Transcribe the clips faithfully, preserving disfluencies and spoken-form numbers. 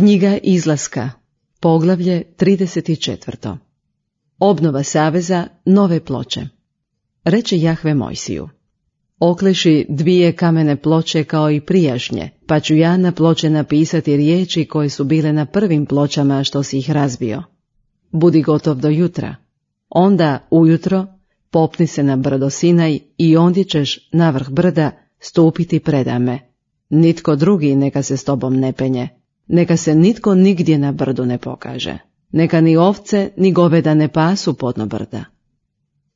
Knjiga Izlaska, poglavlje trideset četiri. Obnova saveza, nove ploče. Reče Jahve Mojsiju: okleši dvije kamene ploče kao i prijašnje, pa ću ja na ploče napisati riječi koje su bile na prvim pločama što si ih razbio. Budi gotov do jutra. Onda ujutro popni se na brdo Sinaj i ondje ćeš na vrh brda stupiti predame. Nitko drugi neka se s tobom ne penje. Neka se nitko nigdje na brdu ne pokaže. Neka ni ovce ni goveda ne pasu podno brda.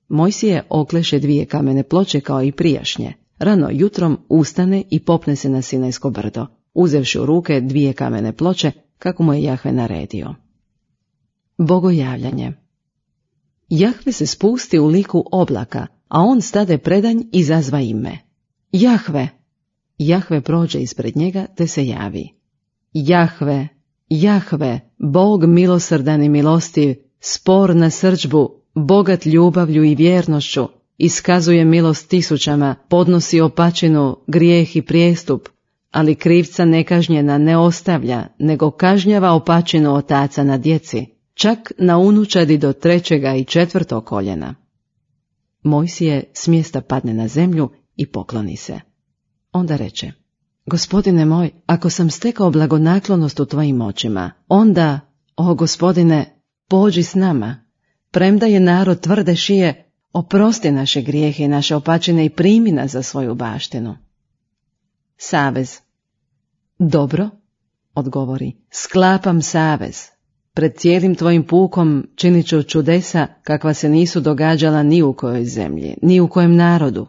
Mojsije okleše dvije kamene ploče kao i prijašnje. Rano jutrom ustane i popne se na Sinajsko brdo, uzevši u ruke dvije kamene ploče, kako mu je Jahve naredio. Bogojavljanje. Jahve se spusti u liku oblaka, a on stade predanj i zazva ime. Jahve! Jahve prođe ispred njega te se javi. Jahve, Jahve, Bog milosrdan i milostiv, spor na srdžbu, bogat ljubavlju i vjernošću, iskazuje milost tisućama, podnosi opačinu, grijeh i prijestup, ali krivca nekažnjena ne ostavlja, nego kažnjava opačinu otaca na djeci, čak na unučadi do trećega i četvrtog koljena. Mojsije s mjesta padne na zemlju i pokloni se. Onda reče: Gospodine moj, ako sam stekao blagonaklonost u tvojim očima, onda, o Gospodine, pođi s nama. Premda je narod tvrde šije, oprosti naše grijehe i naše opačine i primi nas za svoju baštinu. Savez. Dobro, odgovori, sklapam savez. Pred cijelim tvojim pukom činit ću čudesa kakva se nisu događala ni u kojoj zemlji, ni u kojem narodu.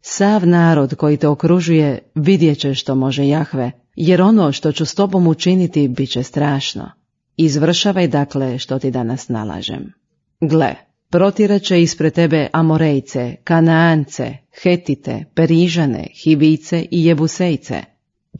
Sav narod koji te okružuje vidjet će što može Jahve, jer ono što ću s tobom učiniti bit će strašno. Izvršavaj dakle što ti danas nalažem. Gle, protiraće ispred tebe Amorejce, Kanaance, Hetite, Perižane, Hivice i Jebusejce.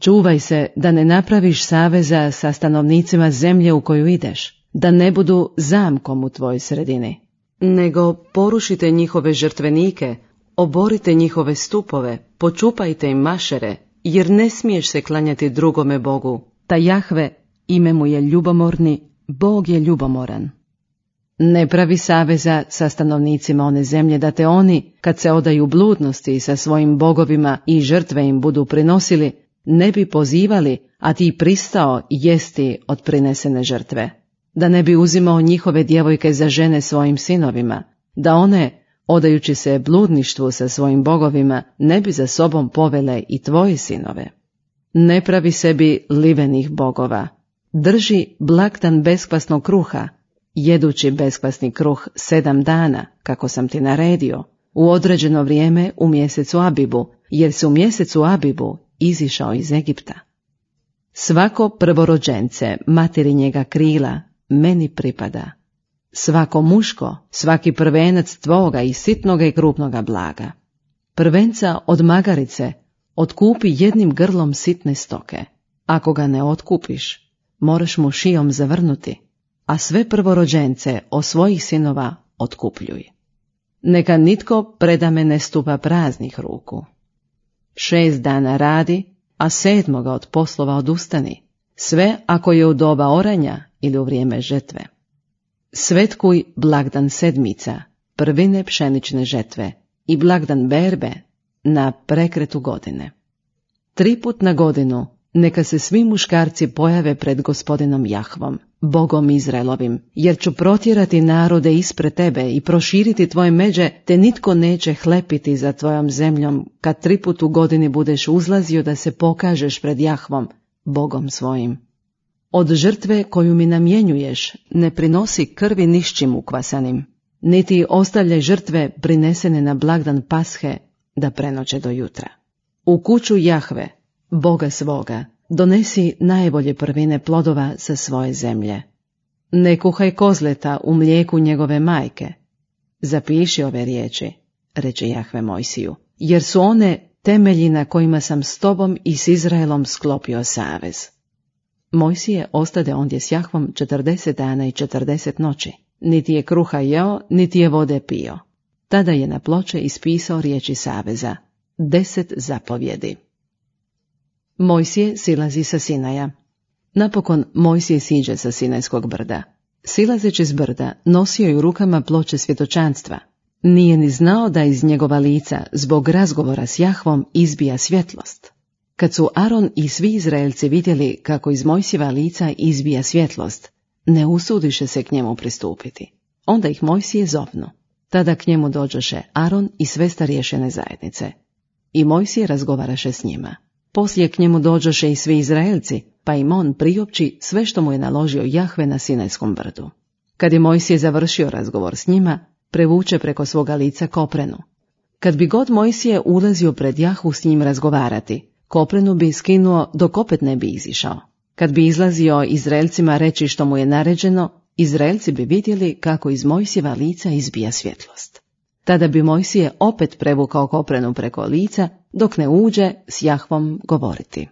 Čuvaj se da ne napraviš saveza sa stanovnicima zemlje u koju ideš, da ne budu zamkom u tvojoj sredini, nego porušite njihove žrtvenike, oborite njihove stupove, počupajte im mašere, jer ne smiješ se klanjati drugome Bogu. Ta Jahve, ime mu je ljubomorni, Bog je ljubomoran. Ne pravi saveza sa stanovnicima one zemlje, da te oni, kad se odaju bludnosti sa svojim bogovima i žrtve im budu prinosili, ne bi pozivali, a ti pristao jesti od prinesene žrtve. Da ne bi uzimao njihove djevojke za žene svojim sinovima, da one, odajući se bludništvu sa svojim bogovima, ne bi za sobom povele i tvoje sinove. Ne pravi sebi livenih bogova. Drži blagdan beskvasnog kruha, jedući beskvasni kruh sedam dana, kako sam ti naredio, u određeno vrijeme u mjesecu Abibu, jer se u mjesecu Abibu izišao iz Egipta. Svako prvorođence materinjega krila meni pripada. Svako muško, svaki prvenac tvoga i sitnoga i krupnoga blaga. Prvenca od magarice otkupi jednim grlom sitne stoke. Ako ga ne otkupiš, moraš mu šijom zavrnuti, a sve prvorođence od svojih sinova otkupljuj. Neka nitko predame ne stupa praznih ruku. Šest dana radi, a sedmoga od poslova odustani, sve ako je u doba oranja ili u vrijeme žetve. Svetkuj blagdan sedmica, prvine pšenične žetve i blagdan berbe na prekretu godine. Tri put na godinu neka se svi muškarci pojave pred Gospodinom Jahvom, Bogom Izraelovim, jer ću protjerati narode ispred tebe i proširiti tvoje međe, te nitko neće hlepiti za tvojom zemljom, kad tri put u godini budeš uzlazio da se pokažeš pred Jahvom, Bogom svojim. Od žrtve koju mi namjenjuješ ne prinosi krvi nišćim ukvasanim, niti ostavljaj žrtve prinesene na blagdan Pashe da prenoće do jutra. U kuću Jahve, Boga svoga, donesi najbolje prvine plodova sa svoje zemlje. Ne kuhaj kozleta u mlijeku njegove majke. Zapiši ove riječi, reče Jahve Mojsiju, jer su one temelji na kojima sam s tobom i s Izraelom sklopio savez. Mojsije ostade ondje s Jahvom četrdeset dana i četrdeset noći. Niti je kruha jeo, niti je vode pio. Tada je na ploče ispisao riječi saveza, deset zapovjedi. Mojsije silazi sa Sinaja. Napokon Mojsije siđe sa Sinajskog brda. Silazeći s brda, nosio je u rukama ploče svjedočanstva. Nije ni znao da iz njegova lica, zbog razgovora s Jahvom, izbija svjetlost. Kad su Aron i svi Izraelci vidjeli kako iz Mojsijeva lica izbija svjetlost, ne usudiše se k njemu pristupiti. Onda ih Mojsije zovnu. Tada k njemu dođoše Aron i sve starješine zajednice. I Mojsije razgovaraše s njima. Poslije k njemu dođoše i svi Izraelci, pa im on priopći sve što mu je naložio Jahve na Sinajskom brdu. Kad je Mojsije završio razgovor s njima, prevuče preko svoga lica koprenu. Kad bi god Mojsije ulazio pred Jahvu s njim razgovarati, koprenu bi skinuo dok opet ne bi izišao. Kad bi izlazio Izraelcima reći što mu je naređeno, Izraelci bi vidjeli kako iz Mojsijeva lica izbija svjetlost. Tada bi Mojsije opet prevukao koprenu preko lica, dok ne uđe s Jahvom govoriti.